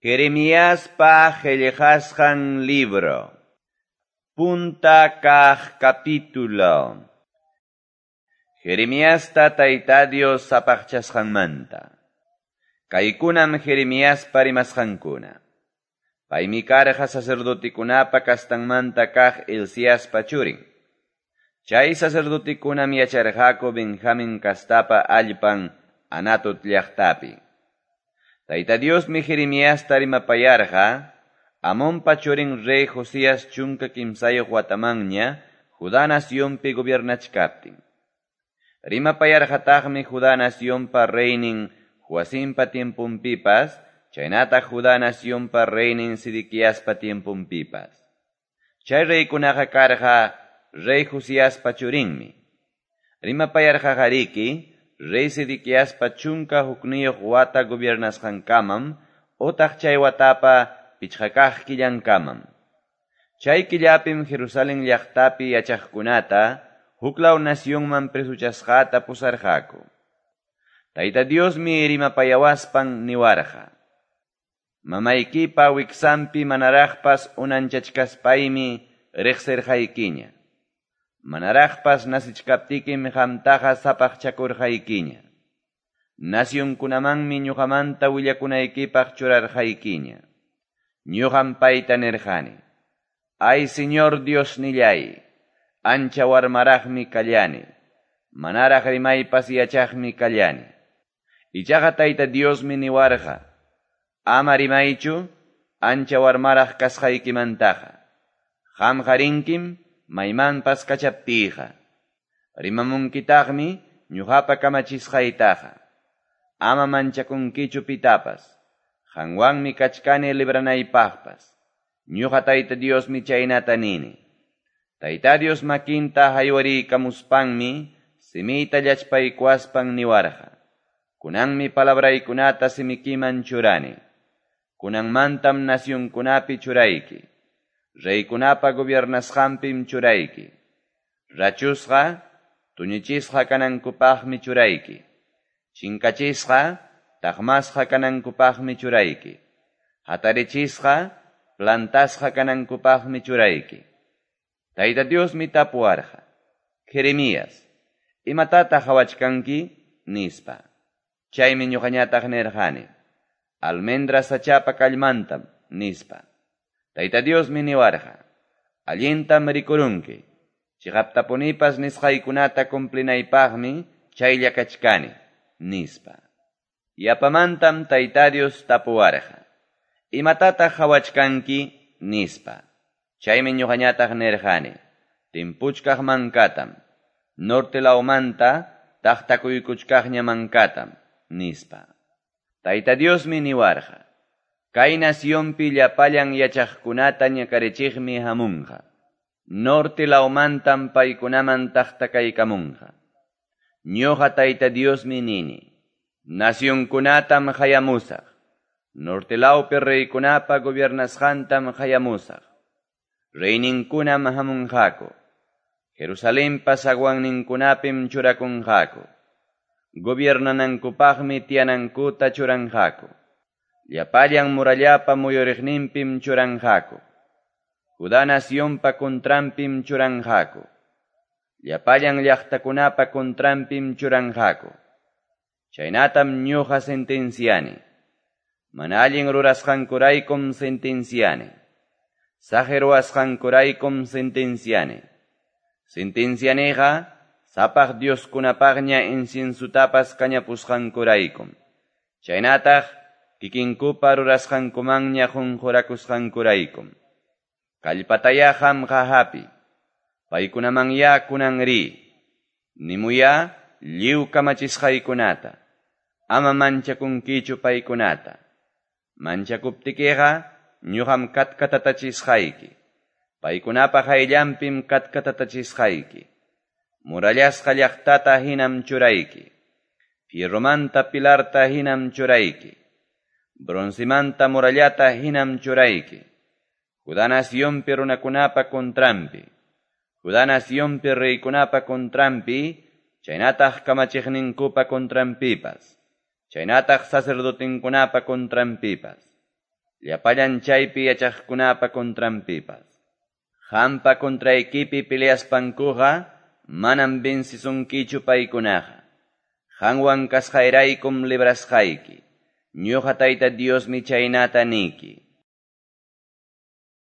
Jeremiaspa qellqasqan libro. Punta kaq capítulo. Jeremiasta Tayta Dios sapaqchasqanmanta. Kaykunam Jeremiaspa rimasqankuna. Paymi karqa sacerdotekunapa kastanmanta kaq Hilciaspa churin. Chay sacerdotekunam yacharqaku Benjamin kastapa allpan Anatot llaqtapi. Tayta Diosmi Jeremiasta rimapayarqa, Amonpa churin rey Josías 13 watamanña Judá nacionpi gobiernachkaptin. Rimapayarqataqmi Judá nacionpa reynin Joacimpa tiemponpipas, chaynataq Judá nacionpa reynin Sedequiaspa tiemponpipas. Chay reykunaqa karqa rey Josiaspa churinmi. Rimapayarqaqariki rey Sedequiaspa 11 wata gobiernasqankamam otaq chay watapa 5 kaq killankamam. Chay killapim Jerusalén llaqtapi yachaqkunata huklaw nacionman presuchasqata pusarqaku. Tayta Diosmi rimapayawaspan niwarqa: Mamaykipa wiksanpi manaraqpas unanchachkaspaymi riqsirqaykiña. Manaraqpas nasichkaptikim qamtaqa sapaqchakurqaykiña. Nacionkunamanmi ñuqamanta willakunaykipaq churarqaykiña. Ñuqam payta nirqani: Ay Señor Diosnillay, ancha warmaraqmi kallani, manaraq rimaypas yachaqmi kallani. Ichaqa Tayta Diosmi niwarqa: Ama rimaychu, ancha warmaraq kasqaykimantaqa. Qamqa rinkim maymanpas kachaptiyqa. Rimamunkitaqmi ñuqapa kamachisqaytaqa. Ama manchakunkichu pitapas. Qanwanmi kachkani libranaypaqpas. Ñuqa Tayta Diosmi chaynata nini. Tayta Dios makinta haywariykamuspanmi simiyta llachpaykuwaspan niwarqa: Kunanmi palabraykunata simikiman churani. Kunanmantam nacionkunapi churayki. Reykunapa gobiernasqanpim churayki. Rachusqa, tuñichisqa kanankupaqmi churayki. Chinkachisqa, taqmasqa kanankupaqmi churayki. Hatarichisqa, plantasqa kanankupaqmi churayki. Tayta Diosmi tapuwarqa: Jeremías, imatataq qhawachkanki? Nispa. Chaymi ñuqañataq nirqani: Almendra sachapa kallmantam, nispa. Tayta Diosmi niwarqa: Allintam rikurunki. Chiqaptapunipas nisqaykunata cumplinaypaqmi chaylla kachkani, nispa. Yapamantam Tayta Dios tapuwarqa: Imatataq qhawachkanki? Nispa. Chaymi ñuqañataq nirqani: Timpuchkaq mankatam, norte lawmanta taqtakuykuchkaqña mankatam, nispa. Tayta Diosmi niwarqa: Kay nacionpi llapallan yachaqkunata ñakarichiqmi hamunqa. Norte lawmantam paykunaman taqtakaykamunqa. Ñuqa Tayta Diosmi nini: Nacionkunatam qayamusaq. Norte lawpi reykunapa gobiernasqantam qayamusaq. Reyninkunam hamunqaku. Jerusalenpa zaguanninkunapim churakunqaku. Gobiernanankupaqmi tiyanankuta churanqaku. Llapallan murallapa muyuriqninpim churanqaku. Judá nacionpa contranpim churanqaku. Llapallan llaqtakunapa contranpim churanqaku. Chaynatam ñuqa sentenciani. Mana allin rurasqankuraykum sentenciani. Saqi ruwasqankuraykum sentenciani. Sentencianiqa sapaq dioskunapaqña inciensutapas kañapusqankuraykum. Chaynataq kikinkupa rurasqankumanña qunqurakusqankuraykum. Kallpataya qamqa hapi. Paykunamanya kunan ri. Nimuya lliw kamachisqaykunata. Ama manchakunkichu paykunata. Manchakuptikiqa ñuqam katkatatachisqayki. Paykunapa qayllanpim katkatatachisqayki. Murallasqa llaqtata hinam churayki. Fierromanta pilarta hinam churayki. Broncemanta murallata hinam churayki. Judá nacionpi runakunapa contranpi. Judá nacionpi reykunapa contranpi, chaynataq kamachiqninkupa contranpipas. Chaynataq sacerdotinkunapa contranpipas. llapallan chaypi yachaqkunapa contranpipas. Qampa contraykipi peleaspankuqa manam vencesunkichu paykunaqa. Qanwan kasqayraykum librasqayki. Ñoqa Tayta Diosmi chaynata niki.